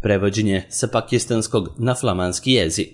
Prevođenje sa pakistanskog na flamanski jezik.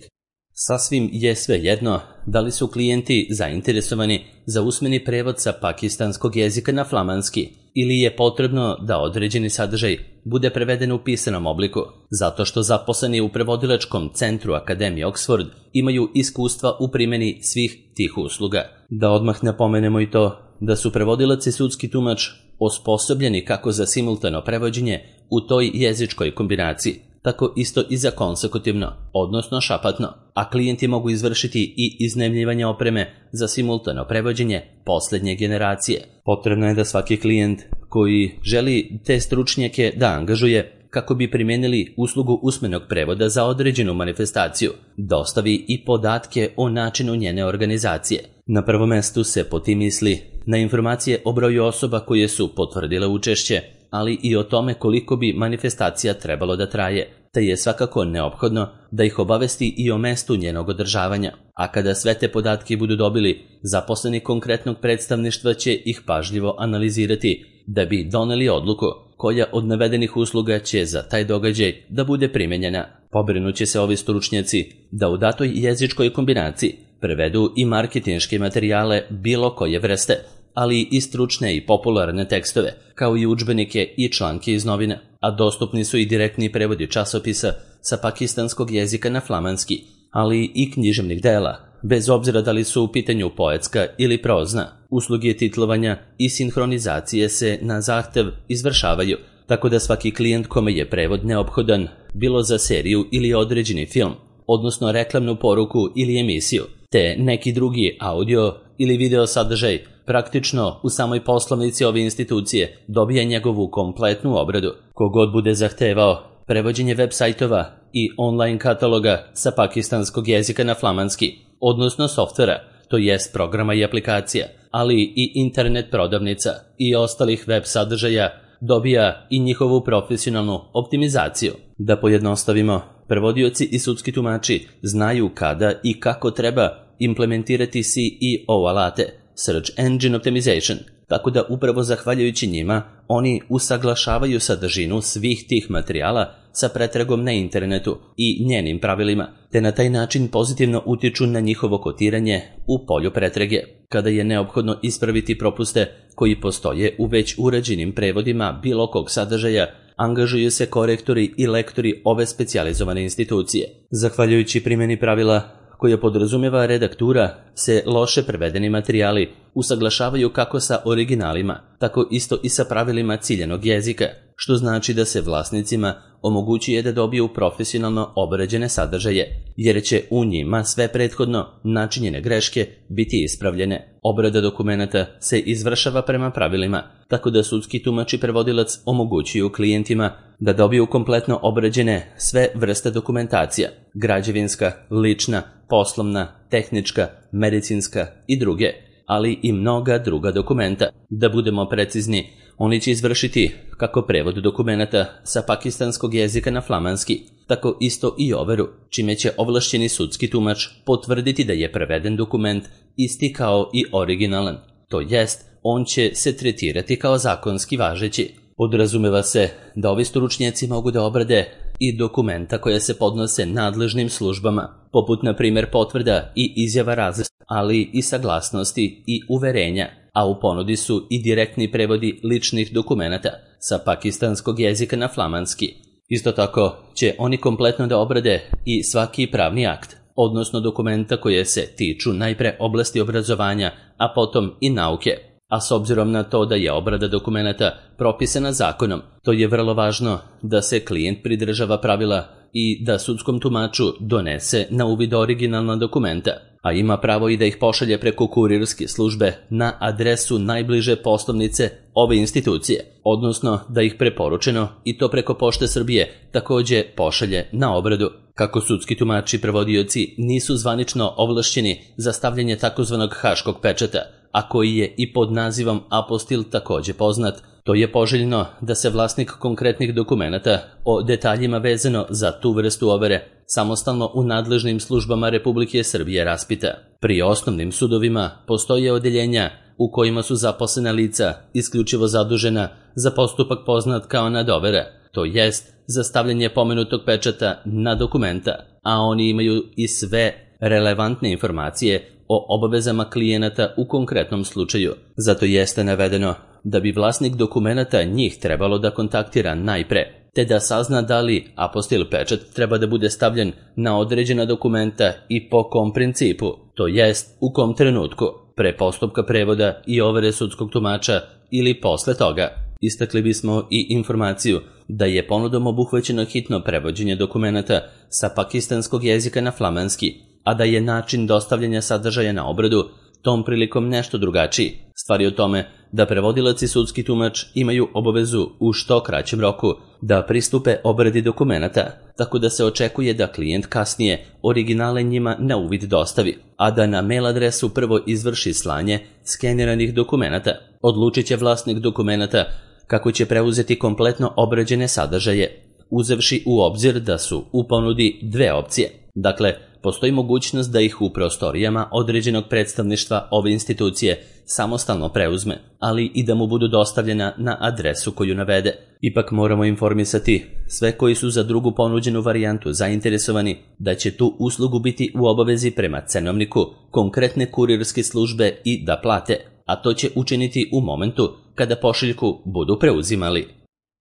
Sasvim je svejedno da li su klijenti zainteresovani za usmeni prevod sa pakistanskog jezika na flamanski ili je potrebno da određeni sadržaj bude preveden u pisanom obliku, zato što zaposleni u prevodilačkom centru Akademije Oxford imaju iskustva u primjeni svih tih usluga. Da odmah napomenemo i to da su prevodilac i sudski tumač osposobljeni kako za simultano prevođenje u toj jezičkoj kombinaciji, tako isto i za konsekutivno, odnosno šapatno, a klijenti mogu izvršiti i iznajmljivanje opreme za simultano prevođenje posljednje generacije. Potrebno je da svaki klijent koji želi te stručnjake da angažuje kako bi primijenili uslugu usmenog prevoda za određenu manifestaciju, dostavi i podatke o načinu njene organizacije. Na prvom mjestu se po tim misli na informacije o broju osoba koje su potvrdile učešće, ali i o tome koliko bi manifestacija trebalo da traje, te je svakako neophodno da ih obavesti i o mestu njenog održavanja. A kada sve te podatke budu dobili, zaposleni konkretnog predstavništva će ih pažljivo analizirati da bi doneli odluku koja od navedenih usluga će za taj događaj da bude primjenjena. Pobrinuće se ovi stručnjaci da u datoj jezičkoj kombinaciji prevedu i marketinške materijale bilo koje vrste, ali i stručne i popularne tekstove, kao i udžbenike i članke iz novina, a dostupni su i direktni prevodi časopisa sa pakistanskog jezika na flamanski, ali i književnih dela, bez obzira da li su u pitanju poetska ili prozna. Usluge titlovanja i sinhronizacije se na zahtev izvršavaju, tako da svaki klijent kome je prevod neophodan, bilo za seriju ili određeni film, odnosno reklamnu poruku ili emisiju, te neki drugi audio ili video sadržaj, praktično u samoj poslovnici ove institucije dobija njegovu kompletnu obradu. Kogod bude zahtevao prevođenje web sajtova i online kataloga sa pakistanskog jezika na flamanski, odnosno softvera, to jest programa i aplikacija, ali i internet prodavnica i ostalih web sadržaja, dobija i njihovu profesionalnu optimizaciju. Da pojednostavimo, prevodioci i sudski tumači znaju kada i kako treba implementirati SEO alate, Search Engine Optimization, tako da upravo zahvaljujući njima oni usaglašavaju sadržinu svih tih materijala sa pretragom na internetu i njenim pravilima, te na taj način pozitivno utiču na njihovo kotiranje u polju pretrage. Kada je neophodno ispraviti propuste koji postoje u već urađenim prevodima bilo kog sadržaja, angažuju se korektori i lektori ove specijalizovane institucije. Zahvaljujući primjeni pravila koja podrazumijeva redaktura, se loše prevedeni materijali usaglašavaju kako sa originalima, tako isto i sa pravilima ciljanog jezika, što znači da se vlasnicima omogućuje da dobiju profesionalno obrađene sadržaje, jer će u njima sve prethodno načinjene greške biti ispravljene. Obrada dokumenata se izvršava prema pravilima, tako da sudski tumač i prevodilac omogućuju klijentima da dobiju kompletno obrađene sve vrste dokumentacija, građevinska, lična, poslovna, tehnička, medicinska i druge, ali i mnoga druga dokumenta. Da budemo precizni, oni će izvršiti kako prevod dokumenata sa pakistanskog jezika na flamanski, tako isto i overu, čime će ovlašćeni sudski tumač potvrditi da je preveden dokument isti kao i originalan, to jest on će se tretirati kao zakonski važeći. Podrazumeva se da ovi stručnjaci mogu da obrade i dokumenta koja se podnose nadležnim službama, poput na primjer potvrda i izjava različitosti, ali i saglasnosti i uverenja, a u ponudi su i direktni prevodi ličnih dokumenata sa pakistanskog jezika na flamanski. Isto tako će oni kompletno da obrade i svaki pravni akt, odnosno dokumenta koje se tiču najpre oblasti obrazovanja, a potom i nauke. A s obzirom na to da je obrada dokumenata propisana zakonom, to je vrlo važno da se klijent pridržava pravila i da sudskom tumaču donese na uvid originalna dokumenta, a ima pravo i da ih pošalje preko kurirske službe na adresu najbliže poslovnice ove institucije, odnosno da ih preporučeno i to preko Pošte Srbije također pošalje na obradu. Kako sudski tumači i prevodioci nisu zvanično ovlašćeni za stavljanje takozvanog haškog pečata, a koji je i pod nazivom apostil također poznat, to je poželjno da se vlasnik konkretnih dokumenata o detaljima vezano za tu vrstu overe samostalno u nadležnim službama Republike Srbije raspita. Pri osnovnim sudovima postoje odeljenja u kojima su zaposlena lica isključivo zadužena za postupak poznat kao nadovera, to jest za stavljanje pomenutog pečata na dokumenta, a oni imaju i sve relevantne informacije o obavezama klijenata u konkretnom slučaju. Zato jeste navedeno da bi vlasnik dokumenata njih trebalo da kontaktira najpre, te da sazna da li apostil pečat treba da bude stavljen na određena dokumenta i po kom principu, to jest u kom trenutku, pre postupka prevoda i overe sudskog tumača ili posle toga. Istakli bismo i informaciju da je ponudom obuhvaćeno hitno prevođenje dokumenata sa pakistanskog jezika na flamanski, a da je način dostavljanja sadržaja na obradu tom prilikom nešto drugačiji. Stvar je o tome da prevodilac i sudski tumač imaju obavezu u što kraćem roku da pristupe obradi dokumenata, tako da se očekuje da klijent kasnije originale njima na uvid dostavi, a da na mail adresu prvo izvrši slanje skeniranih dokumenata. Odlučit će vlasnik dokumenata kako će preuzeti kompletno obrađene sadržaje, uzevši u obzir da su u ponudi dve opcije. Dakle, postoji mogućnost da ih u prostorijama određenog predstavništva ove institucije samostalno preuzme, ali i da mu budu dostavljena na adresu koju navede. Ipak moramo informisati sve koji su za drugu ponuđenu varijantu zainteresovani da će tu uslugu biti u obavezi prema cenovniku konkretne kurirske službe i da plate, a to će učiniti u momentu kada pošiljku budu preuzimali.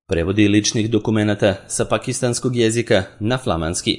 Prevodi ličnih dokumenata sa pakistanskog jezika na flamanski.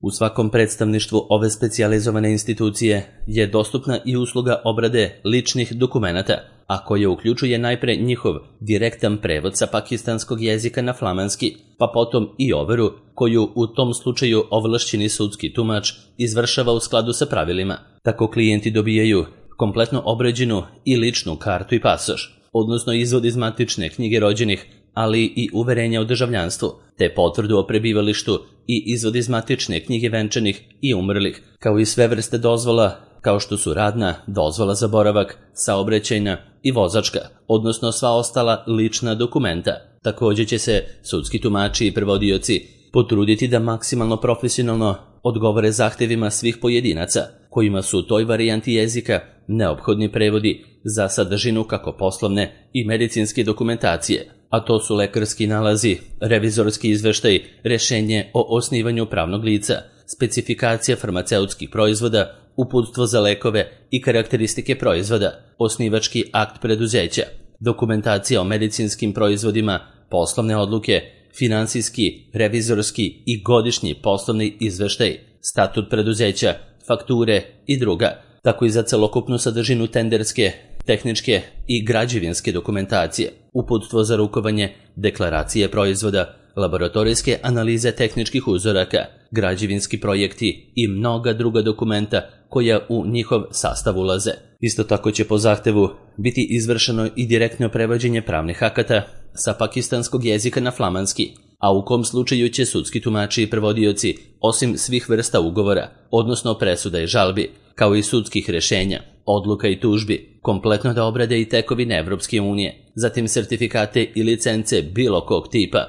U svakom predstavništvu ove specijalizovane institucije je dostupna i usluga obrade ličnih dokumenata, a koja uključuje najpre njihov direktan prevod sa pakistanskog jezika na flamanski, pa potom i overu koju u tom slučaju ovlašćeni sudski tumač izvršava u skladu sa pravilima. Tako klijenti dobijaju kompletno obrađenu i ličnu kartu i pasoš, odnosno izvod iz matične knjige rođenih, ali i uverenja o državljanstvu, te potvrdu o prebivalištu i izvod iz matične knjige venčanih i umrlih, kao i sve vrste dozvola, kao što su radna, dozvola za boravak, saobraćajna i vozačka, odnosno sva ostala lična dokumenta. Također će se sudski tumači i prevodioci potruditi da maksimalno profesionalno odgovore zahtevima svih pojedinaca, kojima su u toj varijanti jezika neophodni prevodi za sadržinu kako poslovne i medicinske dokumentacije, a to su lekarski nalazi, revizorski izveštaj, rešenje o osnivanju pravnog lica, specifikacija farmaceutskih proizvoda, uputstvo za lekove i karakteristike proizvoda, osnivački akt preduzeća, dokumentacija o medicinskim proizvodima, poslovne odluke, finansijski, revizorski i godišnji poslovni izveštaj, statut preduzeća, fakture i druga, tako i za celokupnu sadržinu tenderske, tehničke i građevinske dokumentacije, uputstvo za rukovanje, deklaracije proizvoda, laboratorijske analize tehničkih uzoraka, građevinski projekti i mnoga druga dokumenta koja u njihov sastav ulaze. Isto tako će po zahtevu biti izvršeno i direktno prevođenje pravnih akata sa pakistanskog jezika na flamanski, a u kom slučaju će sudski tumači i prevodioci, osim svih vrsta ugovora, odnosno presuda i žalbi, kao i sudskih rešenja, odluka i tužbi, kompletno da obrade i tekovine Evropske unije, zatim sertifikate i licence bilo kog tipa,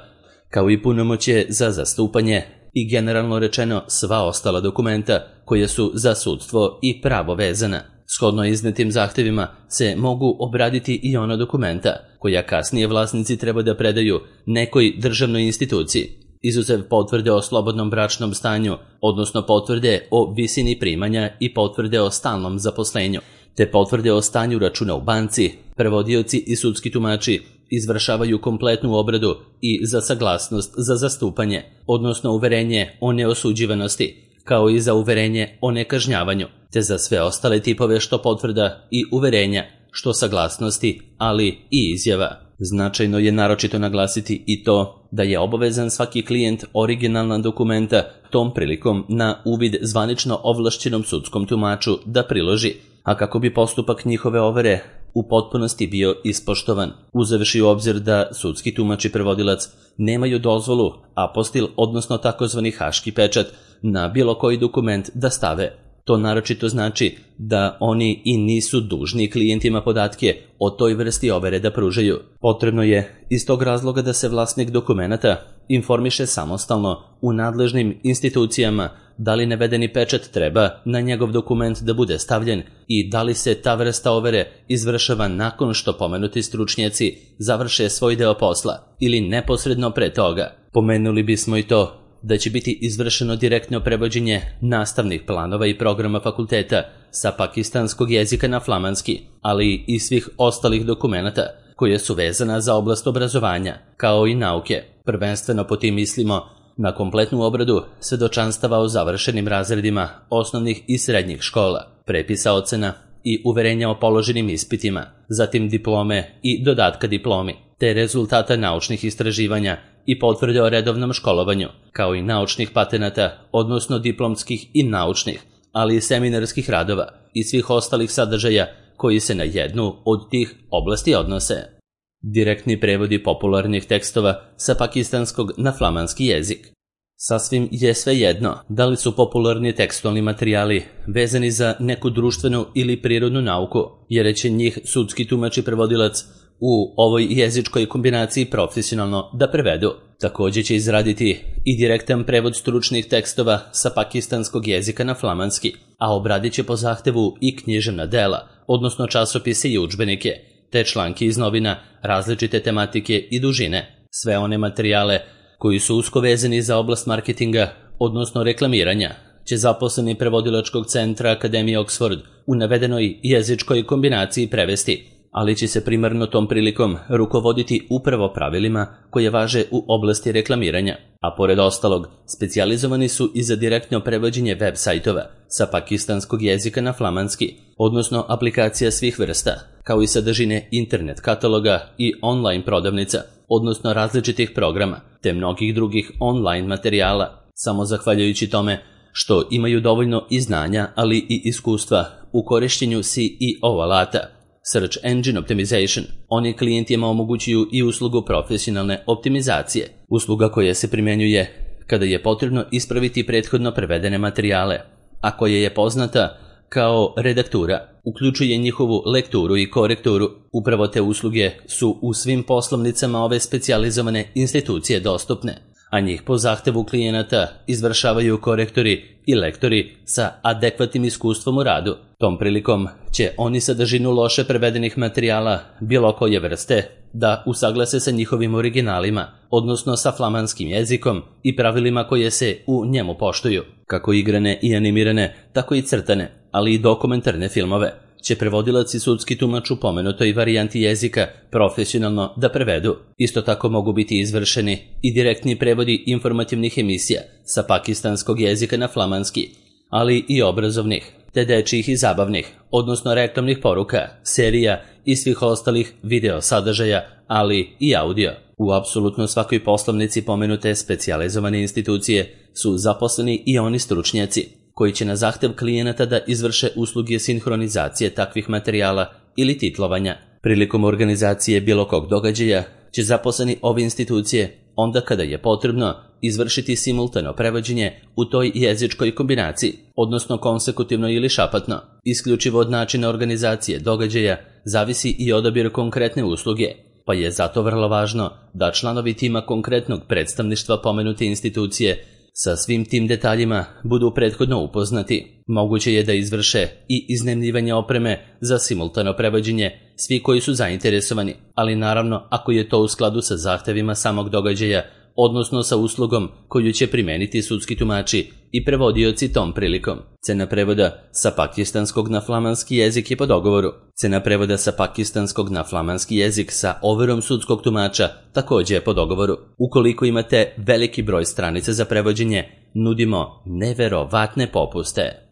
kao i punomoćje za zastupanje i generalno rečeno sva ostala dokumenta koje su za sudstvo i pravo vezana. Shodno iznetim zahtevima se mogu obraditi i ona dokumenta koja kasnije vlasnici treba da predaju nekoj državnoj instituciji, izuzev potvrde o slobodnom bračnom stanju, odnosno potvrde o visini primanja i potvrde o stalnom zaposlenju, te potvrde o stanju računa u banci. Prevodioci i sudski tumači izvršavaju kompletnu obradu i za saglasnost za zastupanje, odnosno uverenje o neosuđivanosti, kao i za uverenje o nekažnjavanju, te za sve ostale tipove što potvrda i uverenja, što saglasnosti, ali i izjava. Značajno je naročito naglasiti i to da je obavezan svaki klijent originalna dokumenta tom prilikom na uvid zvanično ovlašćenom sudskom tumaču da priloži, a kako bi postupak njihove overe u potpunosti bio ispoštovan, uzevši u obzir da sudski tumač i prevodilac nemaju dozvolu, apostil, odnosno takozvani haški pečat, na bilo koji dokument da stave. To naročito znači da oni i nisu dužni klijentima podatke o toj vrsti overe da pružaju. Potrebno je iz tog razloga da se vlasnik dokumenata informiše samostalno u nadležnim institucijama da li navedeni pečat treba na njegov dokument da bude stavljen i da li se ta vrsta overe izvršava nakon što pomenuti stručnjaci završe svoj deo posla ili neposredno pre toga. Pomenuli bismo i to da će biti izvršeno direktno prevođenje nastavnih planova i programa fakulteta sa pakistanskog jezika na flamanski, ali i svih ostalih dokumenata koje su vezana za oblast obrazovanja, kao i nauke. Prvenstveno po tim mislimo na kompletnu obradu svedočanstava o završenim razredima osnovnih i srednjih škola, prepisa ocena i uverenja o položenim ispitima, zatim diplome i dodatka diplomi, te rezultata naučnih istraživanja i potvrde o redovnom školovanju, kao i naučnih patenata, odnosno diplomskih i naučnih, ali i seminarskih radova i svih ostalih sadržaja koji se na jednu od tih oblasti odnose. Direktni prevodi popularnih tekstova sa pakistanskog na flamanski jezik. Sasvim je svejedno da li su popularni tekstualni materijali vezani za neku društvenu ili prirodnu nauku, jer će njih sudski tumač i prevodilac u ovoj jezičkoj kombinaciji profesionalno da prevedu. Također će izraditi i direktan prevod stručnih tekstova sa pakistanskog jezika na flamanski, a obradit će po zahtevu i književna dela, odnosno časopise i udžbenike, te članke iz novina različite tematike i dužine. Sve one materijale koji su usko vezani za oblast marketinga, odnosno reklamiranja, će zaposleni prevodilačkog centra Akademije Oxford u navedenoj jezičkoj kombinaciji prevesti, ali će se primarno tom prilikom rukovoditi upravo pravilima koje važe u oblasti reklamiranja, a pored ostalog specijalizovani su i za direktno prevođenje web sajtova sa pakistanskog jezika na flamanski, odnosno aplikacija svih vrsta, kao i sadržine internet kataloga i online prodavnica, odnosno različitih programa, te mnogih drugih online materijala, samo zahvaljujući tome što imaju dovoljno i znanja, ali i iskustva u korištenju SEO alata, Search Engine Optimization. Oni klijentima omogućuju i uslugu profesionalne optimizacije, usluga koja se primjenjuje kada je potrebno ispraviti prethodno prevedene materijale, a koja je poznata kao redaktura, uključuje njihovu lekturu i korekturu. Upravo te usluge su u svim poslovnicama ove specijalizovane institucije dostupne, a njih po zahtevu klijenata izvršavaju korektori i lektori sa adekvatnim iskustvom u radu. Tom prilikom će oni sadržinu loše prevedenih materijala bilo koje vrste da usaglase sa njihovim originalima, odnosno sa flamanskim jezikom i pravilima koje se u njemu poštuju, kako igrane i animirane, tako i crtane, ali i dokumentarne filmove će prevodilac i sudski tumač u pomenutoj varijanti jezika profesionalno da prevedu. Isto tako mogu biti izvršeni i direktni prevodi informativnih emisija sa pakistanskog jezika na flamanski, ali i obrazovnih, te dečjih i zabavnih, odnosno reklamnih poruka, serija i svih ostalih video sadržaja, ali i audio. U apsolutno svakoj poslovnici pomenute specijalizovane institucije su zaposleni i oni stručnjaci koji će na zahtev klijenata da izvrše usluge sinhronizacije takvih materijala ili titlovanja. Prilikom organizacije bilo kog događaja će zaposleni ove institucije, onda kada je potrebno, izvršiti simultano prevođenje u toj jezičkoj kombinaciji, odnosno konsekutivno ili šapatno. Isključivo od načina organizacije događaja zavisi i odabir konkretne usluge, pa je zato vrlo važno da članovi tima konkretnog predstavništva pomenute institucije sa svim tim detaljima budu prethodno upoznati. Moguće je da izvrše i iznajmljivanje opreme za simultano prevođenje svi koji su zainteresovani, ali naravno ako je to u skladu sa zahtevima samog događaja, odnosno sa uslugom koju će primeniti sudski tumači i prevodioci tom prilikom. Cena prevoda sa pakistanskog na flamanski jezik je po dogovoru. Cena prevoda sa pakistanskog na flamanski jezik sa overom sudskog tumača također je po dogovoru. Ukoliko imate veliki broj stranica za prevođenje, nudimo neverovatne popuste.